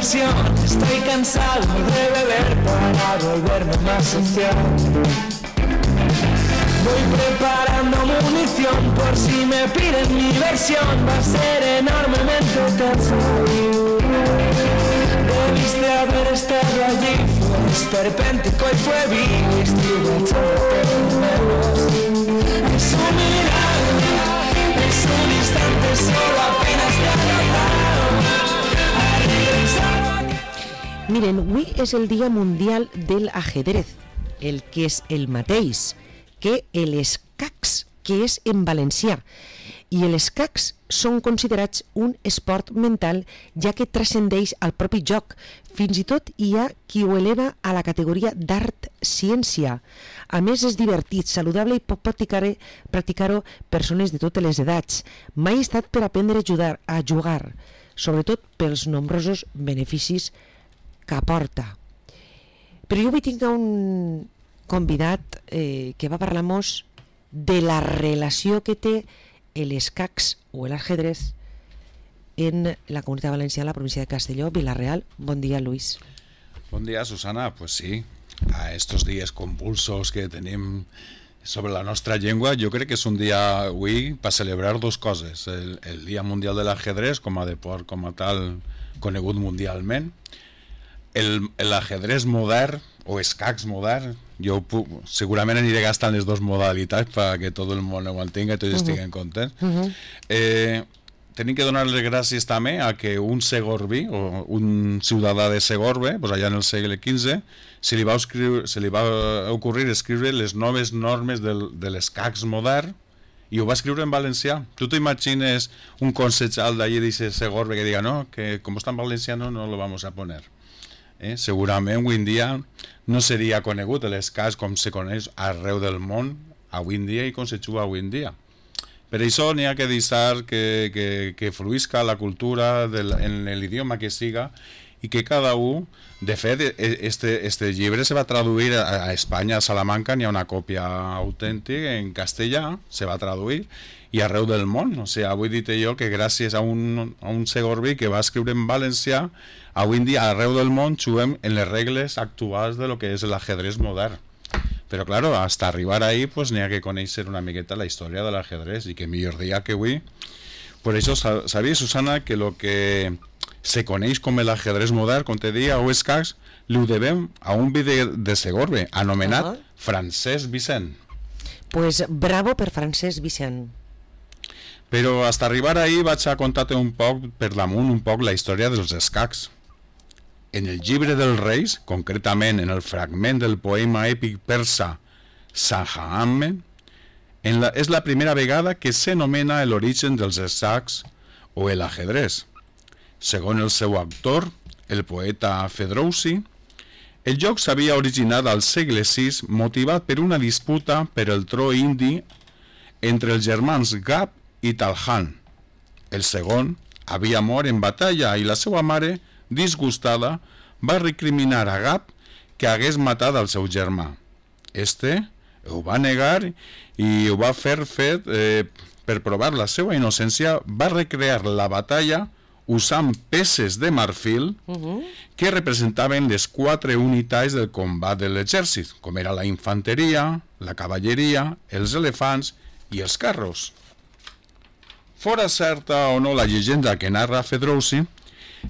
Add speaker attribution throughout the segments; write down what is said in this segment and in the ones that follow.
Speaker 1: diversión. Estoy cansado de beber para volverme más social. Voy preparando munición por si me piden mi versión. Va a ser enormemente tenso. Debiste haber estado allí. Fue esperpéntico y fue vil. Estuve echándote menos. Es un milagro, es un instante solo apenas te ha notado.
Speaker 2: Miren, avui és el Dia Mundial del Ajedrez, el que és el mateix que l'escacs, que és en valencià. I els escacs són considerats un esport mental, ja que transcendeix al propi joc. Fins i tot hi ha qui ho eleva a la categoria d'art-ciència. A més, és divertit, saludable i pot practicar-ho persones de totes les edats. Mai ha estat per aprendre a jugar, sobretot pels nombrosos beneficis que aporta. Però jo avui tinc un convidat que va parlar-nos de la relació que té l'escacs o l'ajedrez en la Comunitat Valenciana, la província de Castelló, Vila-real. Bon dia, Luis.
Speaker 3: Bon dia, Susana. Pues sí, a estos días convulsos que tenim sobre la nostra llengua, jo crec que és un dia avui per celebrar dos coses. El Dia Mundial de l'Ajedrez com a deport, com a tal, conegut mundialment. L'ajedrez modern o escacs modern, jo segurament aniré gastant les dues modalitats perquè tot el món ho entenga i tots estiguen contents. Tenim que donar les gràcies també a que un segorbí o un ciutadà de Segorbe, pues allà en el segle XV, se li va ocorrir escriure les noves normes de l'escacs modern i ho va escriure en valencià. Tu t'imagines un consejal d'allí de Segorbe que diga no, que com està en valenciano no lo vamos a poner. Segurament avui en dia no seria conegut l'escacs com se coneix arreu del món avui en dia i com se juga avui en dia. Per això n'hi ha que deixar que fluïsca la cultura en l'idioma que siga i que cada un, de fet, este llibre se va traduir a Espanya, a Salamanca, n'hi ha una còpia autèntica en castellà, se va traduir, i arreu del món. O sigui, avui dit jo que gràcies a un segorbí que va escriure en valencià, avui en dia arreu del món juguem en les regles actuals de lo que és l'ajedrez modern. Però, claro, hasta arribar ahí, pues n'hi ha que conèixer una miqueta la història de l'ajedrez, i que millor dia que avui. Per això, sabia, Susana, que lo que se coneix com l'ajedrez modern, com te deia, o escacs, ho devem a un vídeo de Segorbe, anomenat Francesc Vicent.
Speaker 2: Pues bravo per Francesc Vicent.
Speaker 3: Però hasta arribar ahí vaig a contar-te un poc, per damunt, un poc la història dels escacs. En el llibre dels Reis, concretament en el fragment del poema èpic persa Shahnameh, és la primera vegada que s'anomena l'origen dels escacs o l'ajedrez. Segons el seu autor, el poeta Ferdowsi, el joc s'havia originat al segle VI motivat per una disputa per el tro indi entre els germans Gab i Talhan. El segon havia mort en batalla i la seva mare, disgustada, va recriminar a Gab que hagués matat al seu germà. Este ho va negar i ho va fer per provar la seva innocència, va recrear la batalla usant peces de marfil que representaven les 4 unitats del combat de l'exèrcit, com era la infanteria, la cavalleria, els elefants i els carros. Fora certa o no la llegenda que narra Ferdowsi,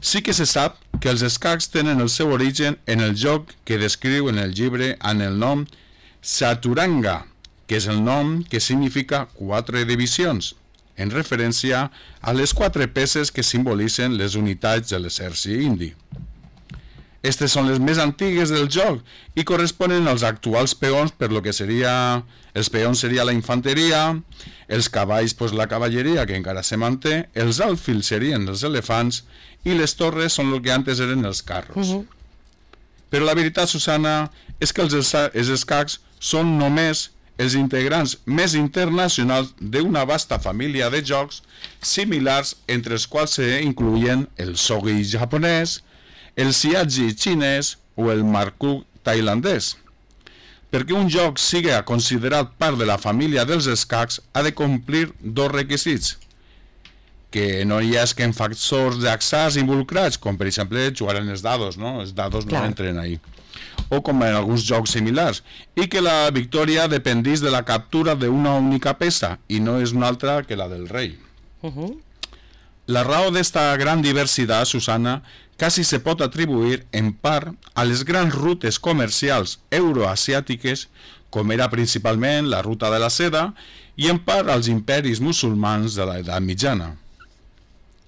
Speaker 3: sí que se sap que els escacs tenen el seu origen en el joc que descriu en el llibre amb el nom Chaturanga, que és el nom que significa 4 divisions, en referència a les 4 peces que simbolitzen les unitats de l'exèrcit indi. Aquestes són les més antigues del joc i corresponen als actuals peons, per lo que seria... Els peons seria la infanteria, els cavalls, pues, la cavalleria, que encara se manté, els alfils serien els elefants i les torres són el que antes eren els carros. Però la veritat, Susana, és que els escacs són només els integrants més internacionals d'una vasta família de jocs similars, entre els quals s'incloïen el shogi japonès, el siaji xinès o el marku tailandès. Perquè un joc sigui considerat part de la família dels escacs ha de complir 2 requisits: que no hi hagi factors d'atzars involucrats, com per exemple jugar en els dados, no? Els dados no entren ahí. O com en alguns jocs similars, i que la victòria dependís de la captura d'una única peça i no és una altra que la del rei. La raó d'esta gran diversitat, Susana, quasi se pot atribuir en part a les grans rutes comercials euroasiàtiques, com era principalment la ruta de la seda, i en part als imperis musulmans de l'edat mitjana.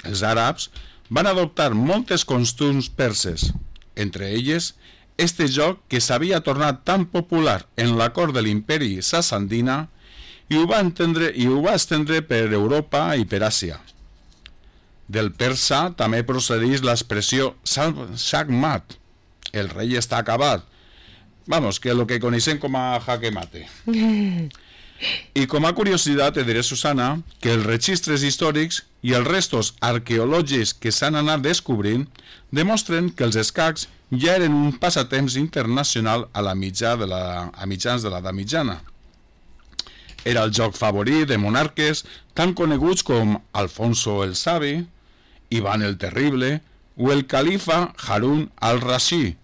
Speaker 3: Els àrabs van adoptar moltes costums perses, entre elles este joc que s'havia tornat tan popular en la cort de l'imperi sassandina i ho va estendre per Europa i per Àsia. Del persa també procedeix l'expressió Shahmat, el rei està acabat. Vamos, que lo que coneixem com a jaque mate. I com a curiositat te diré, Susana, que els registres històrics i els restos arqueològics que s'han anat descobrint demostren que els escacs ja eren un passatemps internacional a mitjans de l'edat mitjana. Era el joc favorit de monarques tan coneguts com Alfonso el Savi, Ivan el Terrible o el califa Harun al-Rashid,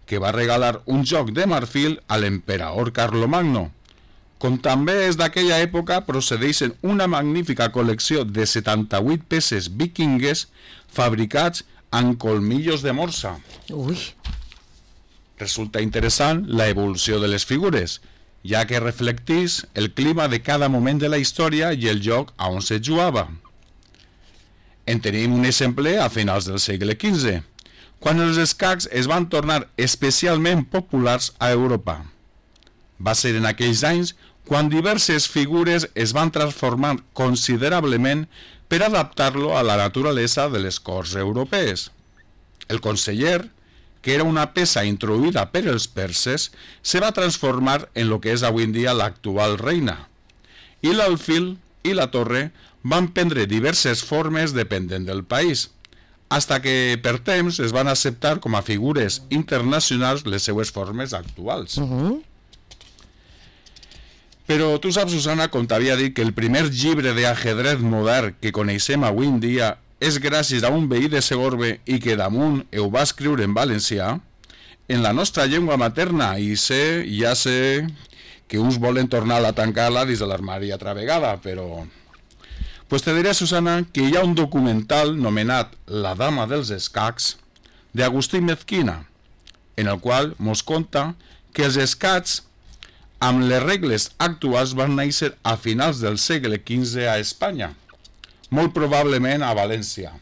Speaker 3: que va regalar un joc de marfil a l'emperador Carlomagno. Com també és d'aquella època, procedeixen una magnífica col·lecció de 78 peces vikingues fabricats amb colmillos de morsa.
Speaker 2: Ui.
Speaker 3: Resulta interessant la evolució de les figures, ja que reflecteix el clima de cada moment de la història i el lloc a on se jugava. En tenim un exemple a finals del segle XV, quan els escacs es van tornar especialment populars a Europa. Va ser en aquells anys quan diverses figures es van transformar considerablement per adaptar-lo a la naturalesa de les corts europees. El conseller, que era una peça introduïda per els perses, se va transformar en lo que és avui en dia l'actual reina. I l'alfil i la torre van prendre diverses formes depenent del país, hasta que per temps es van acceptar com a figures internacionals les seues formes actuals. Però tu saps, Susana, com t'havia dit, que el primer llibre d'ajedrez modern que coneixem avui en dia és gràcies a un veí de Segorbe i que damunt ho va escriure en valencià, en la nostra llengua materna, i ja sé que uns volen tornar a tancar-la dins de l'armari altra vegada, però... Pues te diré, Susana, que hi ha un documental nomenat La dama dels escacs, d'Agustí Mezquina, en el qual mos conta que els escacs, amb les regles actuals, van néixer a finals del segle XV a Espanya, molt probablement a València.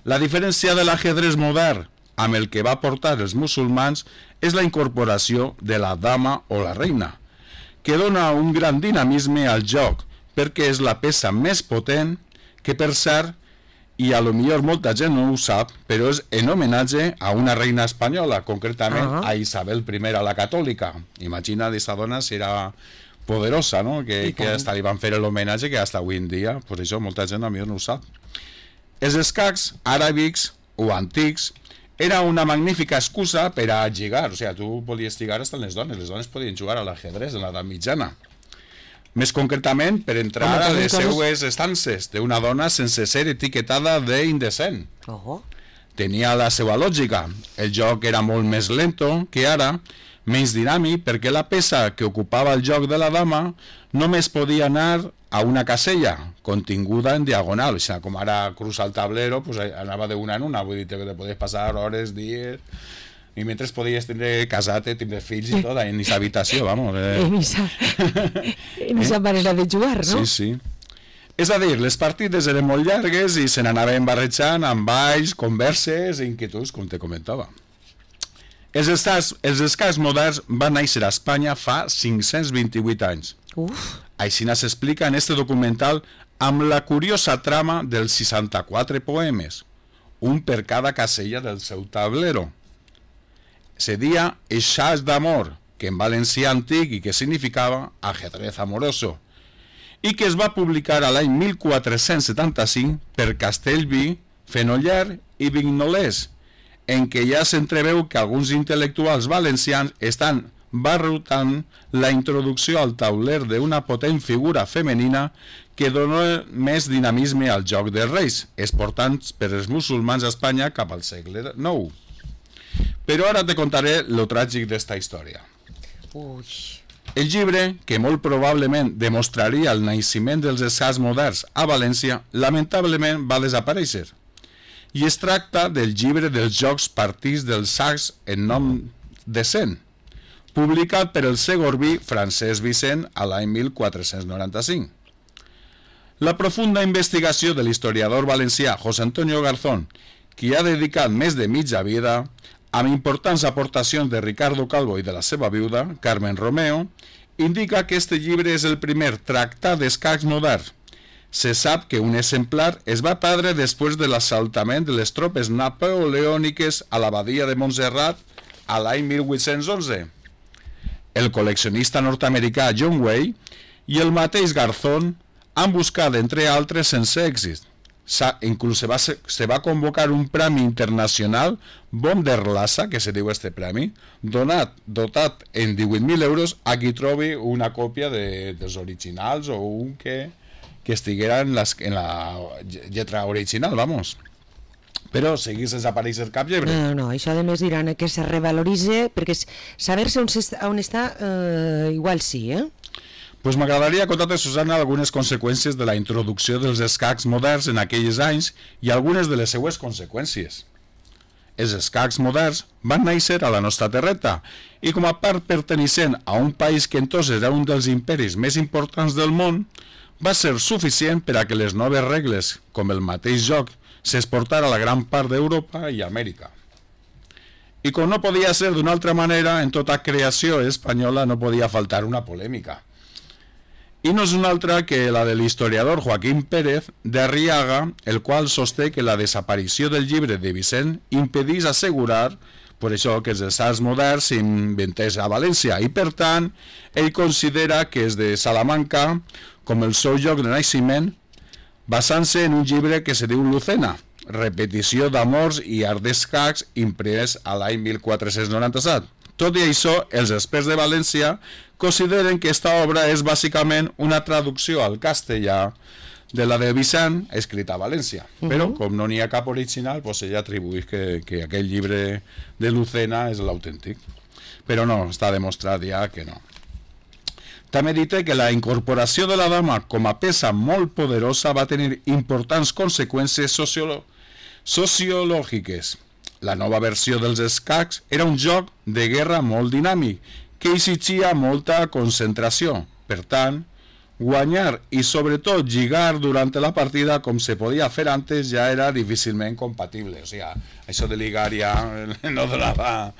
Speaker 3: La diferència de l'ajedrez modern amb el que va portar els musulmans és la incorporació de la dama o la reina, que dona un gran dinamisme al joc, perquè és la peça més potent que, per cert, i a lo millor molta gent no ho sap, però és en homenatge a una reina espanyola, concretament a Isabel I la catòlica. Imagina aquesta dona si era poderosa, no? Que hasta li van fer l'homenatge que hasta avui en dia, pues això molta gent a millor no ho sap. Els escacs àrabs o antics era una magnífica excusa per a lligar, o sigui, tu podies lligar hasta les dones podien jugar a l'ajedrez en l'edat mitjana. Més concretament, per entrar a les seues estances d'una dona sense ser etiquetada d'indecent. Tenia la seva lògica. El joc era molt més lento que ara, menys dinàmic, perquè la peça que ocupava el joc de la dama només podia anar a una casella, continguda en diagonal. O sigui, com ara cruza el tablero, pues anava d'una en una, vull dir que te podies passar hores, dies... I mentre podies tindre casat, tindre fills i tot, en aquesta habitació, vamos.
Speaker 2: En aquesta manera de jugar, no?
Speaker 3: Sí, sí. És a dir, les partides eren molt llargues i se n'anaven barrejant amb balls, converses i inquietuds, com te comentava. Els escacs moderns van néixer a Espanya fa 528 anys. Així s'explica en este documental amb la curiosa trama dels 64 poemes, un per cada casella del seu tablero. Se dia Eixaix d'amor, que en valencià antic i que significava ajedrez amoroso, i que es va publicar a l'any 1475 per Castellví, Fenoller i Vignolès, en què ja s'entreveu que alguns intel·lectuals valencians estan va rotant la introducció al tauler d'una potent figura femenina que dona més dinamisme al joc de reis, exportant per els musulmans a Espanya cap al segle IX. Però ara te contaré lo tràgic d'esta història.
Speaker 2: Ui.
Speaker 3: El llibre, que molt probablement demostraria el naixement dels escacs moderns a València, lamentablement va desaparèixer. I es tracta del llibre dels jocs partits dels sacs en nom de Cent, publicat per el segorbí Francesc Vicent a l'any 1495. La profunda investigació de l'historiador valencià José Antonio Garzón, qui ha dedicat més de mitja vida, amb importants aportacions de Ricardo Calvo i de la seva viuda, Carmen Romeo, indica que este llibre és el primer tractat d'escacs modern. Se sap que un exemplar es va perdre després de l'assaltament de les tropes napoleòniques a l'abadia de Montserrat a l'any 1811. El col·leccionista nord-americà John Way i el mateix Garzón han buscat, entre altres, sense èxit. Inclús se va convocar un premi internacional, Bonderlassa, que se diu este premi, dotat en 18.000 euros a qui trobi una còpia dels originals o un que estiguera en la lletra original, vamos. Però seguís sense aparèixer cap llibre.
Speaker 2: No, això a més diran que se revaloritze, perquè saber-se on està, igual sí,
Speaker 3: Pues m'agradaria contar-te, Susana, algunes conseqüències de la introducció dels escacs moderns en aquells anys i algunes de les seues conseqüències. Els escacs moderns van néixer a la nostra terreta i com a part pertenecent a un país que entonces era un dels imperis més importants del món, va ser suficient per a que les noves regles, com el mateix joc, s'exportara a la gran part d'Europa i Amèrica. I com no podia ser d'una altra manera, en tota creació espanyola no podia faltar una polèmica. I no és una altra que la de l'historiador Joaquín Pérez de Arriaga, el qual sosté que la desaparició del llibre de Vicent impedís assegurar, per això, que els escacs moderns s'inventés a València, i per tant, ell considera que és de Salamanca com el seu lloc de naixement, basant-se en un llibre que se diu Lucena, repetició d'amors i art d'escacs imprès a l'any 1497. Tot i això, els experts de València consideren que aquesta obra és bàsicament una traducció al castellà de la de Vicent, escrita a València. Però, com no n'hi ha cap original, doncs ella atribueix que aquell llibre de Lucena és l'autèntic. Però no, està demostrat ja que no. També dit que la incorporació de la dama com a peça molt poderosa va tenir importants conseqüències sociològiques. La nova versió dels escacs era un joc de guerra molt dinàmic, que exigia molta concentració. Per tant, guanyar i sobretot lligar durant la partida com se podia fer antes ja era difícilment compatible. O sigui, això de lligar ja no donava...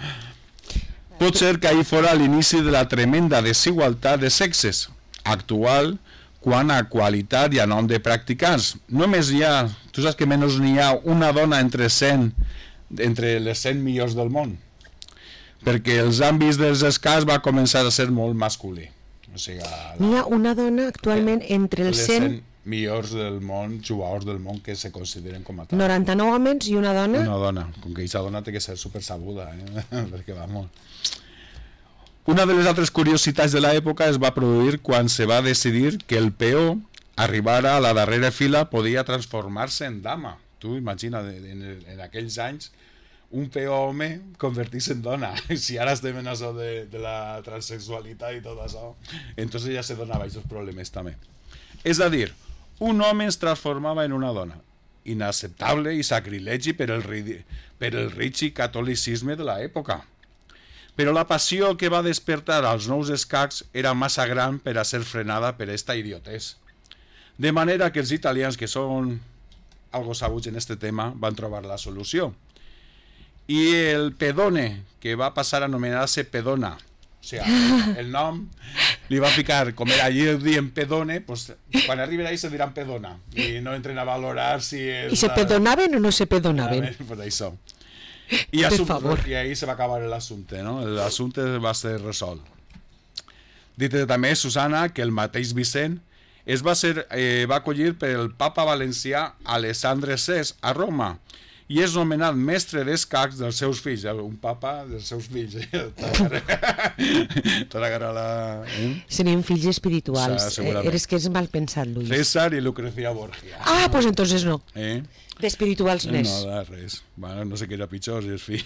Speaker 3: Pot ser que ahí fora l'inici de la tremenda desigualtat de sexes actual quant a qualitat i a nom de practicants. Només hi ha, tu saps que menys n'hi ha una dona entre les 100 millors del món, perquè els àmbits dels escacs va començar a ser molt masculí. O sigui,
Speaker 2: n'hi ha una dona actualment entre els 100
Speaker 3: millors del món, jugadors del món que se consideren com a tal.
Speaker 2: 99 homes i una dona?
Speaker 3: Una dona, com que aquesta dona té que ser super sabuda, perquè vamos. Una de les altres curiositats de l'època es va produir quan se va decidir que el peó arribara a la darrera fila podia transformar-se en dama. Tu imagina, en aquells anys, un peó home convertir-se en dona. Si ara estem en això de la transsexualitat i tot això, entonces ja se donava aquests problemes també. És a dir, un home es transformava en una dona. Inacceptable i sacrilegi per el rígid catolicisme de l'època. Però la passió que va despertar als nous escacs era massa gran per a ser frenada per esta idiotès. De manera que els italians, que són algo sabuts en este tema, van trobar la solució. I el pedone, que va passar a anomenar-se pedona, o sigui, el nom li va ficar, com era allí dient pedone, pues, quan arriben ahí se diran pedona, i no entren a valorar si és...
Speaker 2: I se pedonaven o no se pedonaven?
Speaker 3: Pues això. I ahí se va acabar l'assumpte, no? L'assumpte va ser resolt. Dit també, Susana, que el mateix Vicent va acollir per el papa valencià Alessandre VI a Roma, i és nomenat mestre d'escacs dels seus fills, un papa dels seus fills. Tota la...
Speaker 2: Serien fills espirituals.
Speaker 3: Segurament.
Speaker 2: Eres que és mal pensat, Luis.
Speaker 3: César i Lucrecia Borgia.
Speaker 2: Ah, pues entonces no.
Speaker 3: Eh?
Speaker 2: D'espirituals n'és.
Speaker 3: No, res. Bueno, no sé què era pitjor, si és fill.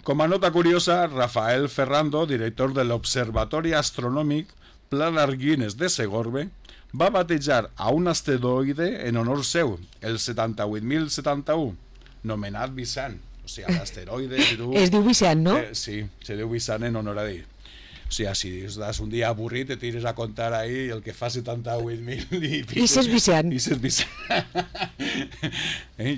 Speaker 3: Com a nota curiosa, Rafael Ferrando, director de l'Observatori Astronòmic Planar Guinness de Segorbe, va batejar a un asteroide en honor seu, el 78.071, nomenat Vicent. O sigui, l'asteroide...
Speaker 2: Es diu Vicent, no?
Speaker 3: Sí, se diu Vicent en honor a ell. O sigui, si estàs un dia avorrit, te tires a contar ahí el que fa 78.000 i pico.
Speaker 2: I ses Vicent.
Speaker 3: I ses Vicent.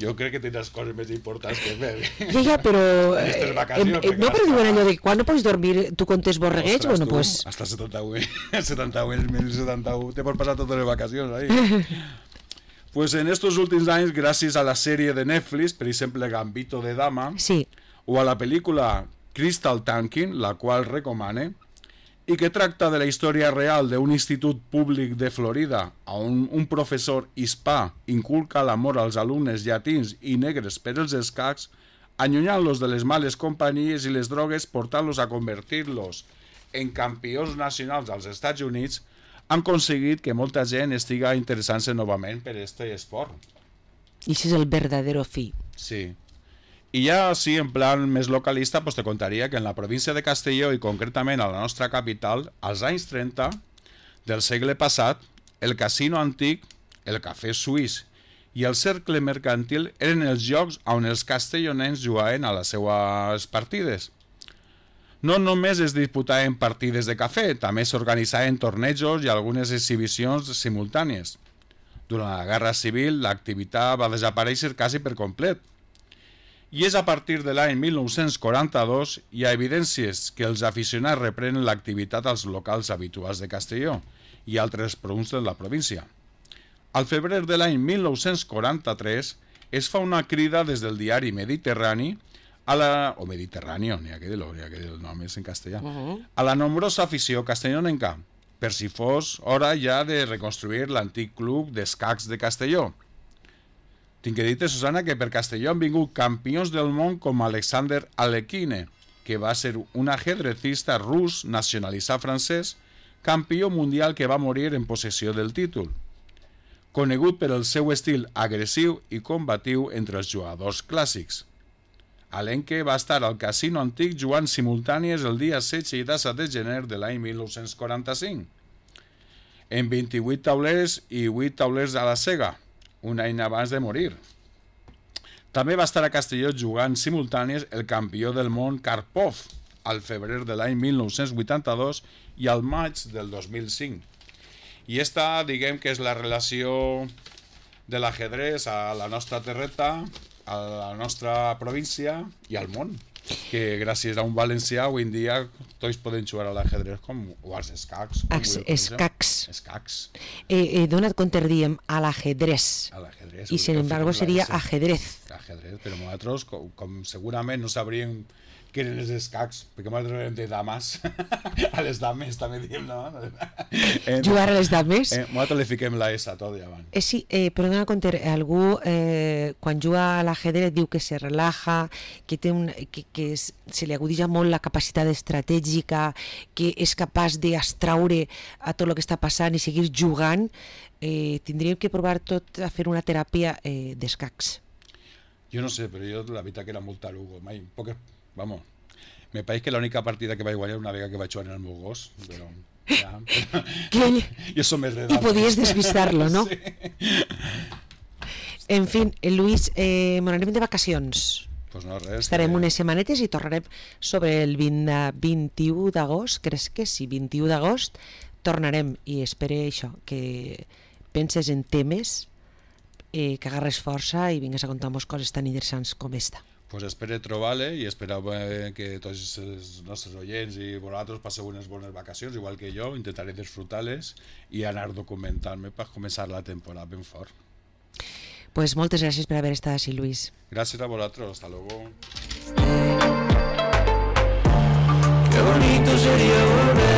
Speaker 3: Jo crec que tens coses més importants que fer.
Speaker 2: Ja, però...
Speaker 3: vacacions,
Speaker 2: no, però diuen allò de quan no pots dormir, tu contes borregueig,
Speaker 3: Ostres,
Speaker 2: bueno, pues...
Speaker 3: Hasta 78.071, te pots passar totes les vacacions ahí. Pues en estos últims anys, gràcies a la sèrie de Netflix, per exemple Gambito de Dama,
Speaker 2: Sí.
Speaker 3: o a la pel·lícula Crystal Tanking, la qual recomane, i que tracta de la història real d'un institut públic de Florida on un professor hispà inculca l'amor als alumnes llatins i negres per els escacs, allunyant-los de les males companyies i les drogues, portant-los a convertir-los en campions nacionals als Estats Units, han aconseguit que molta gent estiga interessant-se novament per aquest esport.
Speaker 2: I això és el verdadero fi.
Speaker 3: Sí. I ja, sí, en plan més localista, pues te contaria que en la província de Castelló i concretament a la nostra capital, als anys 30 del segle passat, el casino antic, el cafè suís i el cercle mercantil eren els llocs on els castellonencs jugaven a les seues partides. No només es disputaven partides de cafè, també s'organitzaven tornejos i algunes exhibicions simultànies. Durant la Guerra Civil, l'activitat va desaparèixer quasi per complet. I és a partir de l'any 1942 hi ha evidències que els aficionats reprenen l'activitat als locals habituals de Castelló i altres punts de la província. Al febrer de l'any 1943 es fa una crida des del diari Mediterrani o Mediterráneo, n'hi ha que dir-lo, el nom és en castellà, a la nombrosa afició castellonenca, per si fos hora ja de reconstruir l'antic club d'escacs de Castelló. Tinc que dir-te, Susana, que per Castelló han vingut campions del món com Alexander Alekhine, que va ser un ajedrecista rus nacionalitzat francès, campió mundial que va morir en possessió del títol. Conegut per el seu estil agressiu i combatiu entre els jugadors clàssics. Alenque va estar al casino antic jugant simultànies el dia 16 i 17 de gener de l'any 1945. En 28 taulers i 8 taulers a la cega, un any abans de morir. També va estar a Castelló jugant simultànies el campió del món Karpov al febrer de l'any 1982 i al maig del 2005. I esta, diguem que és la relació de l'ajedrez a la nostra terreta, a la nostra província i al món, que gràcies a un valencià avui en dia tots poden jugar a l'ajedrez o als escacs.
Speaker 2: Escacs. He donat compte, diem, a l'ajedrez. I, sin embargo, seria ajedrez.
Speaker 3: Ajedrez, però nosaltres, com segurament no sabríem què eren els escacs, perquè nosaltres érem de dames. A les dames també diem, no?
Speaker 2: Jugar a les dames?
Speaker 3: Nosaltres li fiquem la S a tot i avant.
Speaker 2: Sí, però dona compte, algú quan juga a l'ajedrez diu que se relaja, que se li agudija molt la capacitat estratègica, que és capaç d'extraure a tot el que està passant i seguir jugant. Tindríem que provar tot a fer una teràpia d'escacs.
Speaker 3: Jo no sé, però jo la veritat que era molt tarugo. Vamos, me pareix que l'única partida que vaig guanyar una vegada que vaig jugar en el meu gos, però ja... Jo som més d'edat.
Speaker 2: I podies despistar-lo, no?
Speaker 3: Sí.
Speaker 2: En fi, Luis, m'anarem de vacacions.
Speaker 3: Pues no, res.
Speaker 2: Estarem unes setmanetes i tornarem sobre el 21 d'agost, crec que sí, 21 d'agost, tornarem i espero això, que penses en temes, que agarres força i vingues a contar-nos coses tan interessants com esta.
Speaker 3: Pues espero trobar-le i espero que tots els nostres oients i vosaltres passeu unes bones vacacions, igual que jo, intentaré disfrutar-les i anar documentant-me per començar la temporada ben fort.
Speaker 2: Pues moltes gràcies per haver estat així, Luis.
Speaker 3: Gràcies a vosaltres, hasta luego.
Speaker 1: Qué bonito sería volver